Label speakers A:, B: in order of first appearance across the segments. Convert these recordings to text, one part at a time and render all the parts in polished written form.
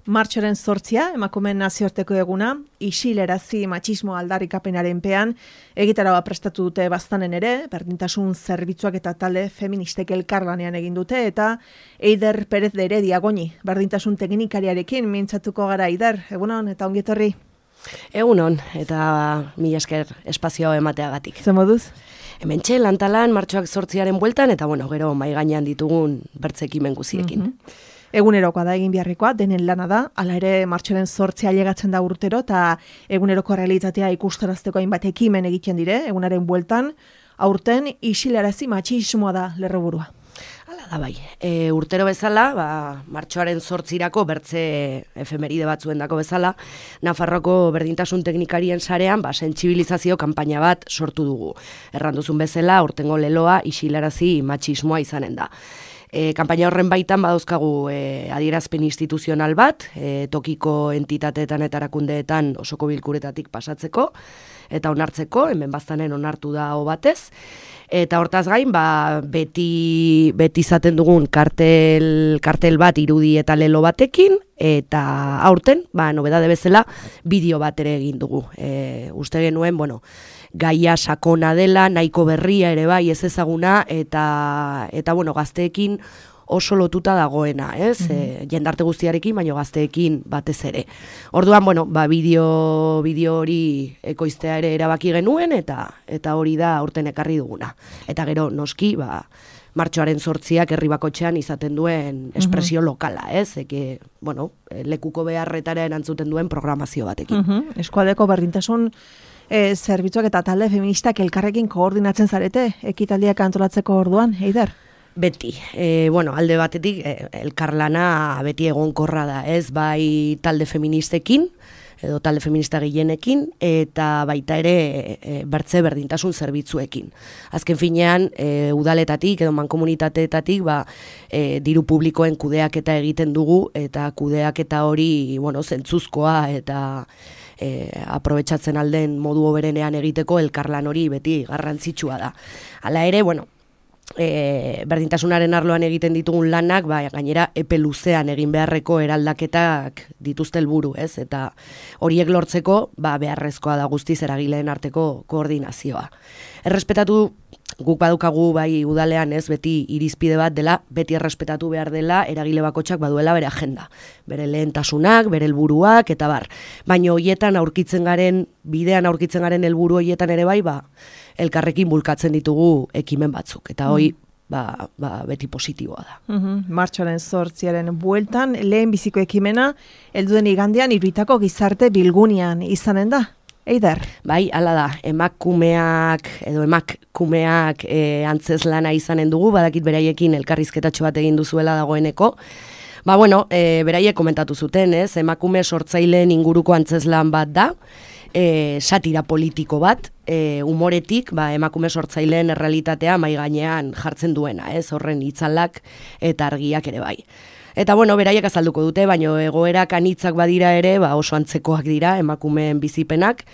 A: Martxoaren 8, emakumeen nazioarteko eguna, isilerazi matxismo aldarrikapenaren pean, egitaraua prestatu dute baztanen ere, berdintasun zerbitzuak eta talde feministek elkarlanean egin dute, eta Eider Perez de Heredia Goñi, berdintasun teknikariarekin mintzatuko gara. Eider, egunon eta ongi etorri.
B: Egunon, eta mila esker espazio emateagatik.
A: Zer moduz?
B: Hementxe lantalan martxoak 8aren bueltan, eta gero mai gainean ditugun bertzekimen guziekin.
A: Egunerokoa da egin beharrekoa, denen lana da, hala ere martxoaren 8 ailegatzen da urtero, eta eguneroko realitatea ikustarazteko hainbat ekimen egiten dire, egunaren bueltan, aurten isilarazi matxismoa da lerroburua.
B: Hala da bai, urtero bezala, martxoaren 8irako bertze efemeride batzuendako bezala, Nafarroko berdintasun teknikarien sarean sentsibilizazio kanpaina bat sortu dugu. Erranduzun bezala, aurtengo leloa isilarazi matxismoa izanen da. Kanpaina horren baitan badauzkagu adierazpen instituzional bat, tokiko entitateetan eta erakundeetan osoko bilkuretatik pasatzeko, eta onartzeko, hemen baztanen onartu da hau batez. Eta hortaz gain, beti izaten dugun kartel bat irudi eta lelo batekin, eta aurten, nobedade bezala, bideo bat ere egin dugu. Uste genuen, gaia sakona dela, nahiko berria ere bai ez ezaguna, eta gazteekin oso lotuta dagoena, ez? Jendarte guztiarekin, baina gazteekin batez ere. Orduan, bideo hori ekoiztea ere erabaki genuen, eta hori da aurten ekarri duguna. Eta gero, noski, martxoaren 8ak herri bakotxean izaten duen espresio lokala, ez? Lekuko beharretara erantzuten duen programazio batekin.
A: Eskualdeko berdintasun zerbitzuak eta talde feministak elkarrekin koordinatzen zarete, ekitaldiak antolatzeko orduan, Eider?
B: Beti, alde batetik elkarlana beti egonkorra da, ez? Bai talde feministekin, edo talde feminista gehienekin, eta baita ere bertze berdintasun zerbitzuekin. Azken finean, udaletatik edo mankomunitateetatik diru publikoen kudeaketa egiten dugu, eta kudeaketa hori zentzuzkoa eta aprobetxatzen alden modu hoberenean egiteko elkarlan hori beti garrantzitsua da. Hala ere, berdintasunaren arloan egiten ditugun lanak, gainera epe luzean egin beharreko eraldaketak dituzte helburu, ez? Eta horiek lortzeko beharrezkoa da guztiz eragileen arteko koordinazioa. Errespetatu guk badukagu udalean, ez, beti irizpide bat dela, beti errespetatu behar dela eragile bakotxak baduela bere agenda. Bere lehentasunak, bere helburuak eta bar. Baina hoietan bidean aurkitzen garen helburu hoietan ere elkarrekin bulkatzen ditugu ekimen batzuk. Eta hoi, beti positiboa da.
A: Martxoaren 8aren bueltan, lehen biziko ekimena, helduden igandean Iruitako gizarte bilgunean izanen da. Eider?
B: Bai, hala da, emakumeak antzeslana izanen dugu, badakit beraiekin elkarrizketatxo bat egin duzuela dagoeneko. Beraiek komentatu zuten, ez? Emakume sortzaileen inguruko antzeslan bat da, satira politiko bat, umoretik, emakume sortzaileen errealitatea mai gainean jartzen duena, ez? Horren itzalak eta argiak ere bai. Eta beraiek azalduko dute, baina egoerak anitzak badira ere, oso antzekoak dira emakumeen bizipenak,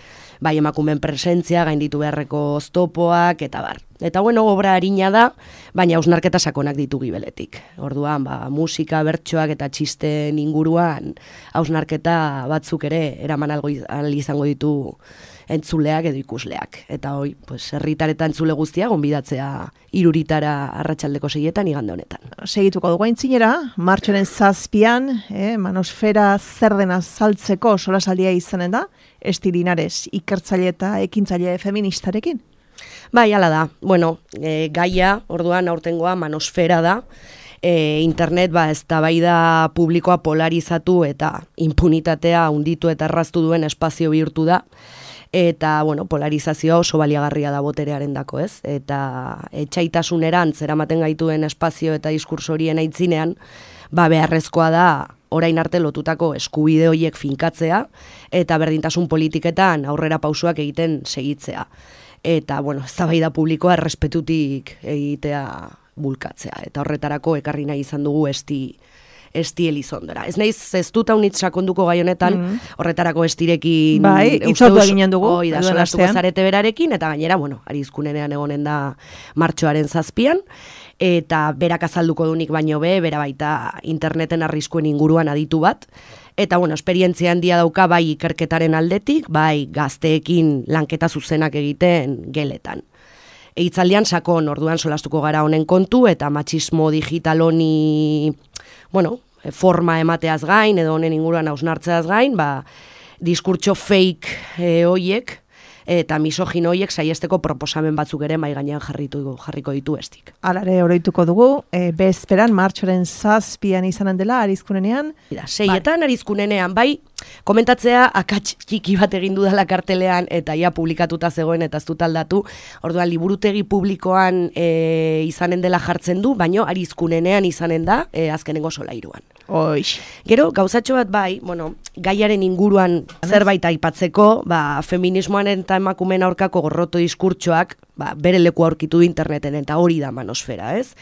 B: emakumeen presentzia, gainditu beharreko oztopoak, eta bar. Eta obra arina da, baina hausnarketa sakonak ditu gibeletik. Orduan, musika, bertsoak eta txisten inguruan hausnarketa batzuk ere eraman ahal izango ditu entzuleak edo ikusleak. Eta herritar eta entzule guztia gonbidatzea Iruritara arratsaldeko 6etan igande honetan.
A: Segituko dugu aintzinera, martxoaren 7an, manosfera zer dena saltzeko solasaldia izanen da, Esti Linares, ikertzaile eta ekintzaile feministarekin.
B: Bai, hala da. Gaia, orduan aurtengoa manosfera da. Internet eztabaida publikoa polarizatu eta impunitatea hunditu eta erraztu duen espazio bihurtu da. Eta, polarizazioa oso baliagarria da boterearendako, ez? Eta etxaitasunerantz eramaten gaituen espazio eta diskurso horien aitzinean, beharrezkoa da orain arte lotutako eskubide horiek finkatzea eta berdintasun politiketan aurrera pausoak egiten segitzea. Eta, eztabaida publikoa errespetutik egitea bulkatzea. Eta horretarako ekarri nahi izan dugu Esti Elizondora. Ez naiz ez dut haunitz sakonduko gai honetan, horretarako Estirekin
A: itzortu eginen dugu.
B: Solastuko zarete berarekin, eta gainera, Arizkunenean egonen da martxoaren 7an, eta berak azalduko dunik baino bera baita interneten arriskuen inguruan aditu bat, Eta, esperientzia handia dauka bai ikerketaren aldetik, bai gazteekin lanketa zuzenak egiten geletan. Hitzaldian sakon orduan solastuko gara honen kontu, eta matxismo digital honi, forma emateaz gain, edo honen inguruan hausnartzeaz gain, diskurtso fake hoiek, eta misogino hoiek saiesteko proposamen batzuk ere mai gainean jarriko ditu estik.
A: Alare oroituko dugu, bezperan martxoaren 7 izanen dela Arizkunenean.
B: Seietan Arizkunenean, bai, komentatzea akats txiki bat egin dudala kartelean eta ia publikatuta zegoen eta ez dut aldatu. Orduan liburutegi publikoan izanen dela jartzen du, baino Arizkunenean izanen da azkenengo solairuan.
A: Oix.
B: Gero, gauzatxo bat bai, gaiaren inguruan zerbait aipatzeko, feminismoaren eta emakumeen aurkako gorroto diskurtsoak, bere leku aurkitu du interneten, eta hori da manosfera, ez?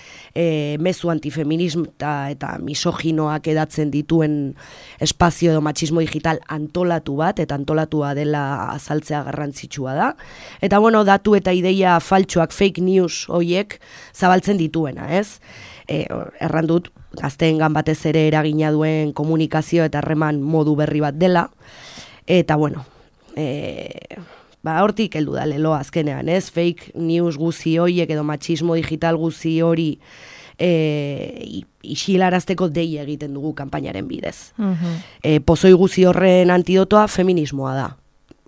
B: Mezu antifeminismo eta misoginoak edatzen dituen espazio edo matxismo digital antolatu bat, eta antolatua dela azaltzea garrantzitsua da. Eta, datu eta ideia faltsuak, fake news hoiek zabaltzen dituena, ez? Erran dut, gazteengan batez ere eragina duen komunikazio eta harreman modu berri bat dela, eta hortik heldu da lelo azkenean, ez? Fake news guzi horiek edo matxismo digital guzi hori isilarazteko dei egiten dugu kanpainaren bidez. Pozoi guzi horren antidotoa feminismoa da.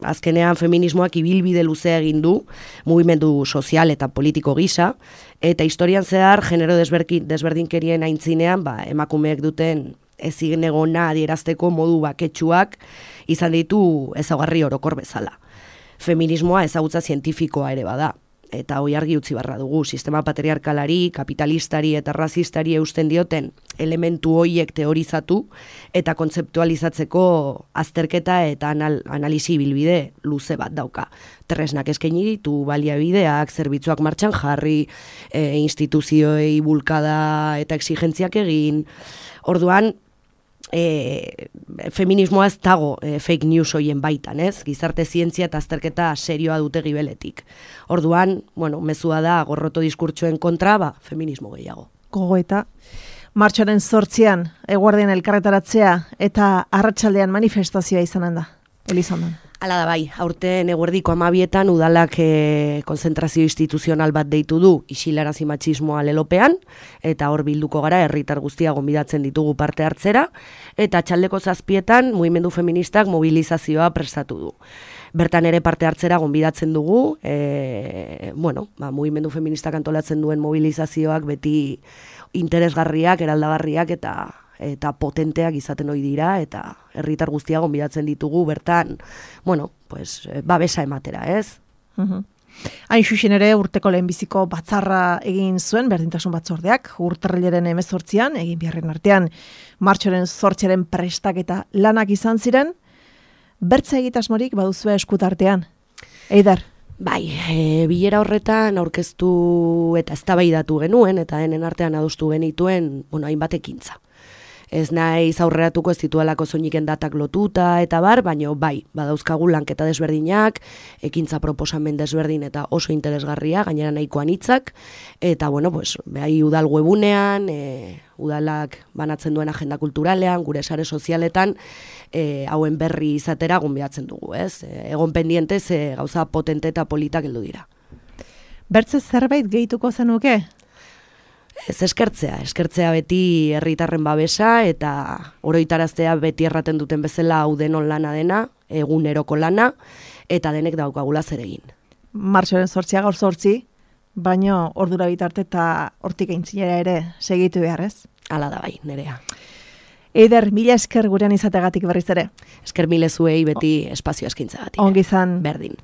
B: Azkenean feminismoak ibilbide luzea egin du, mugimendu sozial eta politiko gisa, eta historian zehar genero desberdinkerien aintzinean, emakumeek duten ezin egona adierazteko modu baketsuak izan ditu ezaugarri orokor bezala. Feminismoa ezagutza zientifikoa ere bada, eta hoi argi utzi barra dugu, sistema patriarkalari, kapitalistari eta razistari eusten dioten elementu hoiek teorizatu eta kontzeptualizatzeko azterketa eta analisi bilbide luze bat dauka. Tresnak eskaini ditu, baliabideak, zerbitzuak martxan jarri, instituzioei bulkada eta exigentziak egin. Orduan, feminismoa ez dago fake news hoien baitan, ez? Gizarte zientzia eta azterketa serioa dute gibeletik. Orduan, mezua da gorroto diskurtsoen kontra, feminismo gehiago.
A: Gogoeta, martxoaren 8 eguerdian elkarretaratzea eta arratsaldean manifestazioa izanen da, Elizondan.
B: Hala da bai, aurten eguerdiko 12etan udalak konzentrazio instituzional bat deitu du isilarazi matxismoa lelopean, eta hor bilduko gara herritar guztia gonbidatzen ditugu parte hartzera, eta txaldeko 7etan mugimendu feministak mobilizazioa prestatu du. Bertan ere parte hartzera gonbidatzen dugu, mugimendu feministak antolatzen duen mobilizazioak beti interesgarriak, eraldagarriak eta potenteak izaten ohi dira, eta herritar guztia gonbidatzen ditugu bertan, babesa ematera, ez?
A: Hain xuxen ere urteko lehenbiziko batzarra egin zuen berdintasun batzordeak, urtarrilaren 18an, egin biharren artean, martxoaren 8aren prestaketa lanak izan ziren, bertza egitasmorik baduzue eskutartean. Eider?
B: Bai, bilera horretan aurkeztu eta eztabaidatu genuen, eta denen artean adostu genituen, hainbat ekintza. Ez naiz aurreratuko ez dituelako soiniken datak lotuta eta baino bai, badauzkagu lanketa desberdinak, ekintza proposamen desberdin eta oso interesgarria, gainera nahikoan hitzak, eta bai udal webunean, udalak banatzen duen agenda kulturalean, gure sare sozialetan, hauen berri izatera gonbidatzen dugu, ez? Egon pendiente ze gauza potente eta politak heldu dira.
A: Bertze zerbait gehituko zenuke?
B: Ez eskertzea beti herritarren babesa eta oroitaraztea beti erraten duten bezala hau denon lana dena, eguneroko lana, eta denek daukagula zer egin.
A: Martxoaren 8 gaur 8, baino ordura bitarte eta hortik aintzinera ere segitu behar, ez?
B: Hala da bai, Nerea.
A: Eider, mila esker gurean izategatik berriz ere.
B: Esker mile zuei beti espazio eskintzagatik.
A: Ongi izan.
B: Berdin.